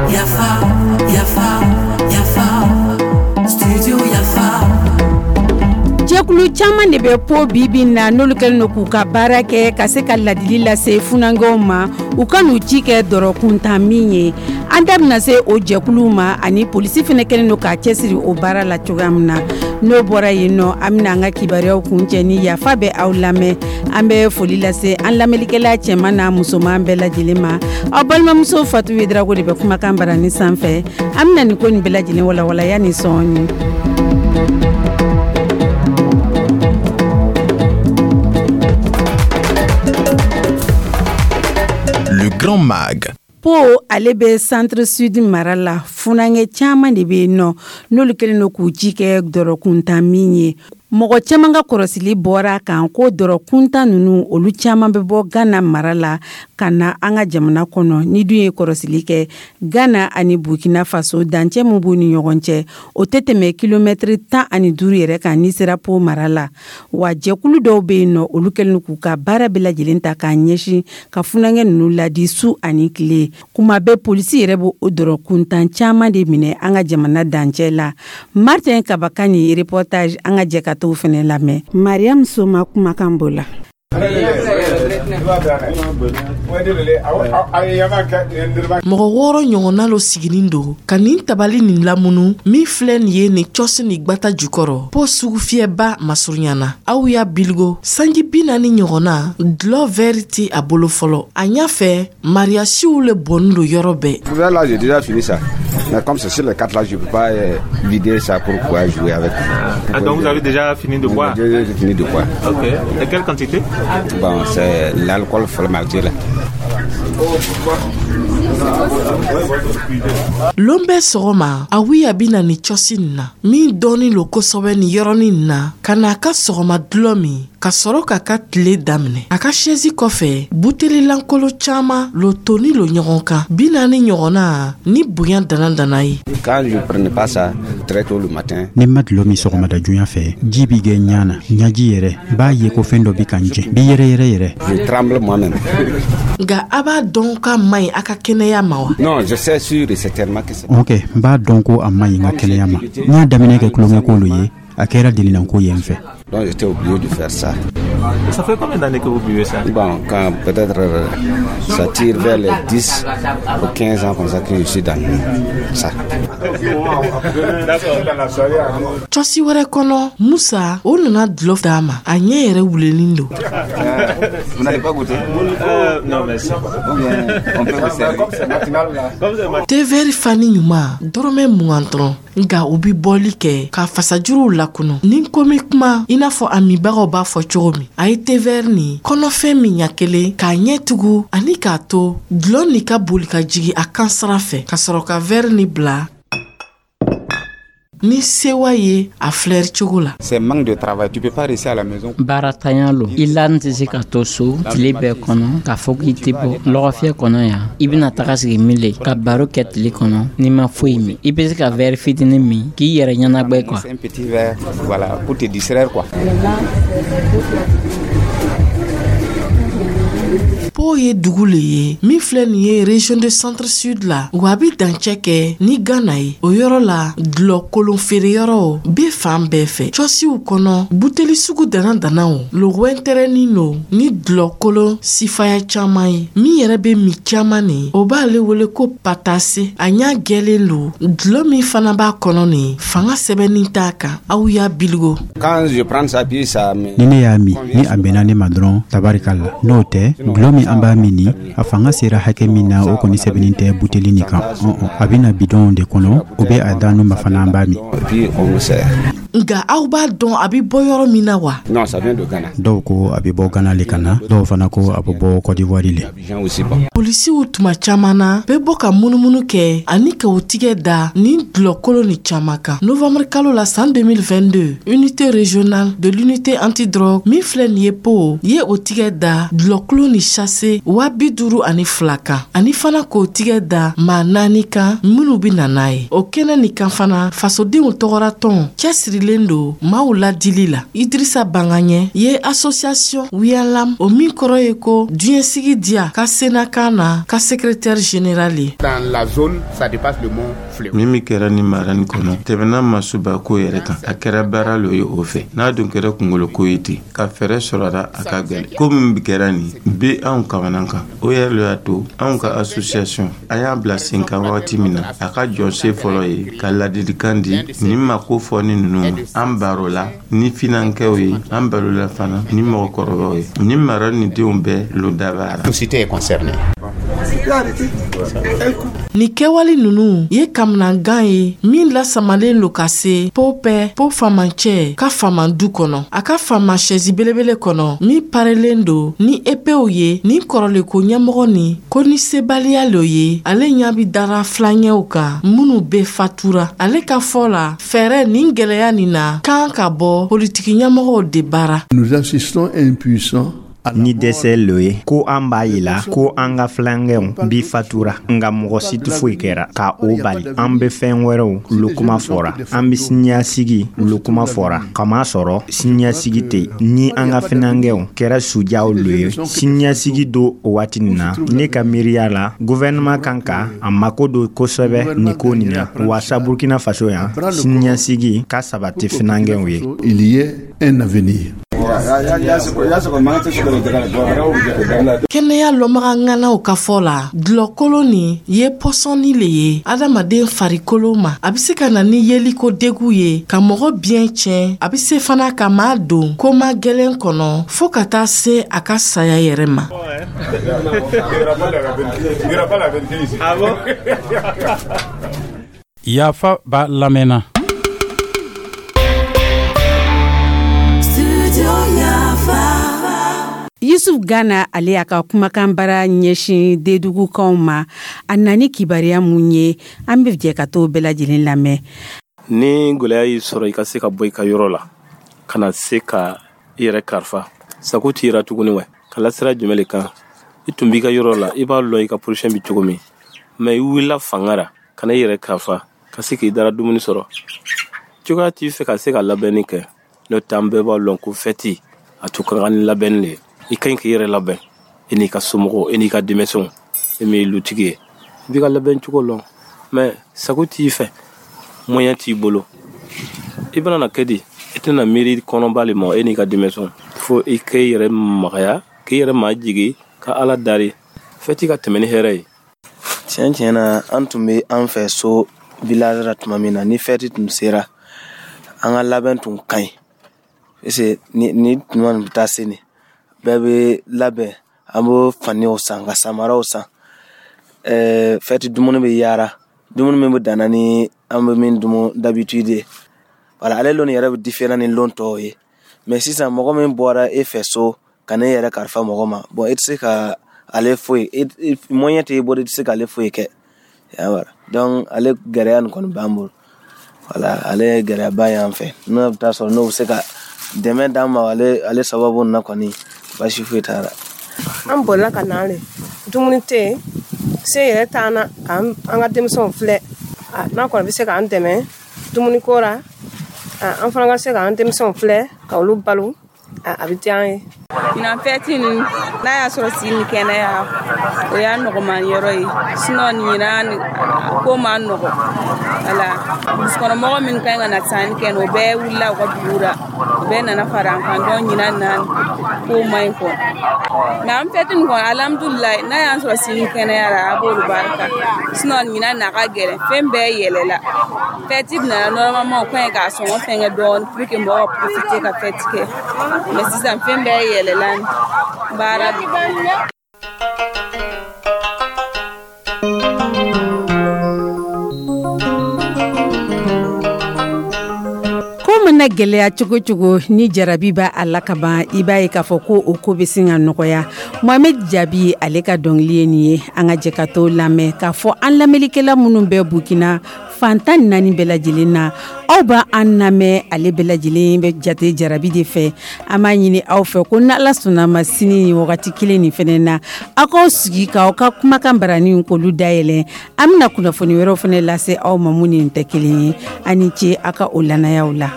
Yafa, yafa, yafa, studio Yafa. Jɛkulu caman de bɛ Po bibi na, n'olu kɛlen don k'u ka baara kɛ ka se ka ladili lase funankɛw ma, u ka n'u ci kɛ dɔrɔkuntan min ye. An da bɛna se o jɛkuluw ma, ani polisi fana kɛlen don k'a cɛsiri o baara la cogoya min na. N'o bɔra yen nɔ, an bɛna an ka kibaruyaw kuncɛ ni Yafa bɛ aw lamɛn. An bɛ foli lase an lamɛnlikɛla cɛman n'a musoman bɛɛ lajɛlen ma. Aw balimamuso Fatu Yedrago de bɛ kumakan barani sanfɛ. An bɛna nin ko nin bɛɛ lajɛlen walawalaya ni sɔɔni. Le Grand Mag. Po, ale bɛ Centre Sud mara la. Funankɛ caman de bɛ yen nɔ, n'olu kɛlen don k'u ci kɛ dɔrɔkuntan min ye. Mɔgɔ caman ka kɔrɔsili bɔra a kan ko dɔrɔkuntan ninnu, olu caman bɛ bɔ Gana mara la ka na an ka jamana kɔnɔ. Ni dun ye kɔrɔsili kɛ, Gana ani Burkina Faso, dancɛ min b'u ni ɲɔgɔn cɛ, o tɛ tɛmɛ kilomɛtiri 15 yɛrɛ kan n'i sera Po mara la. Wa jɛkulu dɔw bɛ yen nɔ, olu kɛlen k'u ka baara bɛɛ lajɛlen ta k'a ɲɛsin ka funankɛ ninnu ladi su ani tile. Kuma bɛɛ, polisi yɛrɛ b'o o dɔrɔkuntan caman de minɛ an ka jamana dancɛ la. Martin Kabaka ni reportage, an ka jɛ ka t'o fɛnɛ lamɛn. Mariam Soma kumakan b'o la. Mɔgɔ 6 ɲɔgɔnna lo siginin don ka nin tabali nin lamunu min filɛ nin ye nin cɔsi ni gwata jukɔrɔ Po sugufiyɛba masurunya na. Aw y'a biligo sanji 40 ɲɔgɔnna, dulɔ vɛri tɛ a bolo fɔlɔ. A ɲa fɛ, mariyasiw le bɔnnin lo yɔrɔ bɛɛ. Là, j'ai déjà fini ça. Mais comme c'est sur les quatre là, je ne peux pas vider ça pour pouvoir jouer avec. Ah, donc vous avez déjà fini de boire? J'ai fini de boire. Ok. Et quelle quantité? Bon, c'est l'alcool fermenté là. Lon bɛɛ sɔgɔma, Awiya bɛ na ni cɔsi nin na min dɔɔnin lo kosɛbɛ nin yɔrɔnin nin na, ka n'a ka sɔgɔma dulɔ min ka sɔrɔ k'a ka tile daminɛ. A ka sɛzi kɔfɛ, buteli lankolo caman lo toni lo ɲɔgɔn kan, 40 ɲɔgɔnna ni bonya dana dana ye. Quand je prenais pas ça très tôt le matin, Ni ma dulɔ min sɔgɔmada joona fɛ, ji bi kɛ ɲa na, ɲaji yɛrɛ b'a ye ko fɛn dɔ bi ka n jɛ, bi yɛrɛ yɛrɛ yɛrɛ. Je tremble moi-même. Nka a b'a dɔn k'a man ɲi a ka kɛnɛya ma wa? Non, je sais sûr et certainement que c'est. Ok, n b'a dɔn ko a man ɲi n ka kɛnɛya ma. N y'a daminɛ kɛ tulonkɛko lo ye, a kɛra delinanko ye n fɛ. Donc j'étais obligé de faire ça. Ça fait combien d'années que vous buvez ça? Bon, quand peut-être ça tire vers les 10 ou 15 ans comme ça que je suis dans ça. Cɔsi wɛrɛ kɔnɔ, Musa o nana dulɔ d'a ma, a ɲɛ yɛrɛ wulenin don. Vous n'allez pas goûter? Non, merci. Ou bien on peut vous servir. Thé vert fani ɲuman, dɔrɔmɛ 20 dɔrɔn. Nka u bi bɔli kɛ ka fasajuruw lakunu ni komi kuma i n'a fɔ a minbagaw b'a fɔ cogo min. A ye thé vert nin kɔnɔfɛn min ɲa kelen k'a ɲɛ tugu ani k'a to dulɔ nin ka boli ka jigi a kan sira fɛ, ka sɔrɔ ka vɛri nin bila ni sewa ye a filɛri cogo la. C'est manque de travail, tu peux pas rester à la maison. Baaratanya lo. I la tɛ se ka to so tile bɛɛ kɔnɔ k'a fɔ k'i tɛ bɔ lɔgɔfiyɛ kɔnɔ yan. I bɛna taga sigi min le ka baro kɛ tile kɔnɔ n'i ma foyi min? I bɛ se ka vɛri fitinin min k'i yɛrɛ ɲɛnagbɛ quoi. Un petit verre, voilà, pour te distraire quoi. Po ye dugu le ye min filɛ nin ye région de Centre Sud la, wa a bi dancɛ kɛ ni Gana ye. O yɔrɔ la, dulɔ kolon feereyɔrɔw be fan bɛɛ fɛ. Cɔsiw kɔnɔ, buteli sugu dana danaw lo wɛntɛrɛnin lo ni dulɔ kolon sifaya caman ye. Min yɛrɛ be min caman nin, o b'ale wele ko patase. A ɲa gwɛlen lo. Dulɔ min fana b'a kɔnɔ nin, fanga sɛbɛnnin t'a kan. Aw y'a biligo. Quand je prends ça, puis ça me. Ni ne y'a min, ni a bɛnna ne ma dɔrɔn, tabarikala. N'o tɛ, dulɔ min an b'a min ni, a fanga sera hakɛ min na, o kɔni sɛbɛnnin tɛ buteli nin kan. Ɔn, a bɛna bidɔnw de kɔnɔ, o bɛ a d'an ma fana, an b'a min. Et puis on nous sert. Nka aw b'a dɔn a bɛ bɔ yɔrɔ min na wa? Non, ça vient de Ghana. Dɔw ko a bɛ bɔ Gana le ka na, dɔw fana ko a bɛ bɔ Côte d'Ivoire le. Abidjan aussi, bon. Polisiw tuma caman na bɛ bɔ ka munumunu kɛ ani ka u tigɛ da nin dulɔkolo ni caman kan. Novembre kalo la san 2022, unité régionale de l'unité antidrogue min filɛ nin ye Po ye o tigɛ da dulɔkolo ni sachet 52 kan, ani fana k'o tigɛ da maa naani kan minnu bɛ na n'a ye. O kɛnɛ nin kan fana, fasodenw tɔgɔra tɔn cɛsirilen. cɛsirilen don maaw ladili la. Idrissa Bangaɲɛ ye association Wiyalam, o min kɔrɔ ye ko diɲɛsigi diya ka senakan na, ka secrétaire général ye. Min min kɛra ni mara nin kɔnɔ, tɛmɛna masuba ko yɛrɛ kan. A kɛra baara lo ye o fɛ. N'a dun kɛra kunkoloko ye ten, ka fɛɛrɛ sɔrɔla, a ka gwɛlɛ. Ko min kɛra nin be anw kamana kan, o yɛrɛ lo y'a to anw ka association a y'a bila sen kan wagati min na, a ka jɔsen fɔlɔ ye ka ladilikan di nin mako fɔ ni ninnu ma. An barola ni finankɛw ye, an barola fana ni mɔgɔkɔrɔbaw ye. Ni mara ni denw bɛɛ lo dabara. Ni kɛwale ninnu ye kamanangan ye min lasamalen lo ka se Popɛ po faamancɛ ka faamandu kɔnɔ, a ka faama sɛzi belebele kɔnɔ min parelen don ni epew ye. Ni kɔrɔlenko ɲɛmɔgɔ ni ko ni sebaliya lo ye, ale ɲa bi dara filaɲɛw kan minnu be fatura. Ale ka fɔ la, fɛɛrɛ nin gwɛlɛya nin na kan ka bɔ politiki ɲɛmɔgɔw de baara. Nous assistons impuissants. Ni dɛsɛ lo ye ko an b'a yila ko an ka filankɛw bi fatura, nga mɔgɔ si tɛ foyi kɛra ka o bali. An be fɛn wɛrɛw lo kuma fɔra, an be siniɲasigi lo kuma fɔra, kama sɔrɔ siniɲasigi tɛ. Ni an ka finankɛw kɛra sujaw lo ye siniɲasigi do o waati nin na, ne ka miiriya la, guvɛrɛnɛman kan ka a mako don kosɛbɛ nin ko nin na, waasa Burkina Faso yan siniɲasigi ka sabati finankɛw ye. Il y ait un avenir. Kɛnɛya lɔnbaga ŋanaw ka fɔ la, dulɔkolo nin ye pɔsɔni le ye adamaden farikolo ma. A be se ka na ni yeliko degu ye, ka mɔgɔ biɲɛ tiɲɛ. A be se fana ka maa don koma gwɛlɛn kɔnɔ fɔɔ ka taa se a ka saya yɛrɛ ma. Yafa b'a lamɛnna. Yusuf Gana, ale y'a ka kumakan bara ɲɛsin dedugukanw ma. A nani kibaruya mun ye, an bɛ jɛ ka t'o bɛɛ lajɛlen lamɛn. Ni gwɛlɛya y'i sɔrɔ, i ka se ka bɔ i ka yɔrɔ la ka na se ka i yɛrɛ karifa, sago t'i yɛrɛ tuguni wɛ. Ka lasira jumɛn le kan? I tun b'i ka yɔrɔ la, i b'a lɔn i ka position bɛ cogo min, mɛ i wulila fanga ra ka na i yɛrɛ karifa ka se k'i dara dumuni sɔrɔ. Cogoya t'i fɛ ka se ka labɛnni kɛ, n'o tɛ an bɛɛ b'a lɔn ko fɛti a tun ka kan ni labɛnni le ye. I ka ɲi k'i yɛrɛ labɛn, i n'i ka somɔgɔw, i n'i ka denmisɛnw. E min ye lutigi ye, i b'i ka labɛn cogo lɔn, mɛ sago t'i fɛ, moyen t'i bolo, i bɛna na kɛ di? I tɛna miiri kɔnɔba le ma, e n'i ka denmisɛnw. Fo i k'i yɛrɛ magaya, k'i yɛrɛ majigi, ka Ala dari, fɛti ka tɛmɛ ni hɛrɛ ye. Tiɲɛ tiɲɛ na, an tun bɛ an fɛ so village la tuma min na, ni fɛti tun sera, an ka labɛn tun ka ɲi, parce que ni tuma nin bɛ taa se nin bɛɛ bɛ labɛn. An b'o faniw san, ka samaraw san, fɛti dumuni bɛ yaara, dumuni min bɛ danna ni an bɛ min dumu d'habitude ye. Wala ale lon yɛrɛ bɛ différent ni lon tɔw ye. Mais sisan, mɔgɔ min bɔra e fɛ so ka ne yɛrɛ kalifa mɔgɔ ma, bon, e tɛ se ka ale foyi, moyen tɛ e bolo, i tɛ se k'ale foyi kɛ. Donc ale gɛlɛya nin kɔni b'an bolo. Wala ale ye gɛlɛyaba ye an fɛ. N'o bɛ taa sɔrɔ n'o bɛ se ka dɛmɛ d'an ma ale sababu nin na kɔni, baasi foyi t'a la. An bolila ka na le, dumuni tɛ yen, se yɛrɛ t'an na k'an ka denmisɛnw filɛ. N'a kɔni bɛ se k'an dɛmɛ dumuniko la, an fana ka se k'an denmisɛnw filɛ ka olu balo, a bɛ diya an ye. Ɲinan fɛti nin, n'a y'a sɔrɔ si ni kɛnɛya, o y'a nɔgɔman yɔrɔ ye. Sinon ɲinan ko ma nɔgɔ. Wala dusukɔnɔmɔgɔ minnu ka ɲi ka na sanni kɛ, o bɛɛ wulila u ka dugu la, o bɛɛ nana fara an kan. Donc ɲinan na ko ma ɲi kɔ. Nka an fɛti nin kɔnɔ, alhamdulilayi, n'a y'an sɔrɔ sini kɛnɛya la, a b'olu barika. Sinon ɲinan na ka gɛlɛn, fɛn bɛɛ yɛlɛla. Fɛti nana normalement, o ka ɲi k'a sɔngɔ fɛnkɛ dɔɔnin pour que mɔgɔw ka profiter ka fɛti kɛ. Mais sisan fɛn bɛɛ yɛlɛla, baara. Ko mana gɛlɛya cogo cogo, ni jarabi b'a a la kaban, i b'a ye k'a fɔ ko o ko bɛ sin ka nɔgɔya. Mohamed Jabi, ale ka dɔnkili ye nin ye. An ka jɛ ka t'o lamɛn k'a fɔ an lamɛnnikɛla minnu bɛ Burkina fan 14 bɛɛ lajɛlen na, aw b'a an lamɛn, ale bɛɛ lajɛlen bɛ jate jarabi de fɛ. An b'a ɲini aw fɛ ko n'Ala sɔnna ma, sini ni wagati kelen nin fɛnɛ na, aw k'aw sigi k'aw ka kumakan baranin k'olu dayɛlɛ. An bɛna kunnafoni wɛrɛw fɛnɛ lase aw ma mun ni nin tɛ kelen ye. Aw ni ce aw ka o lanayaw la.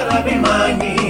Yarabi maɲi.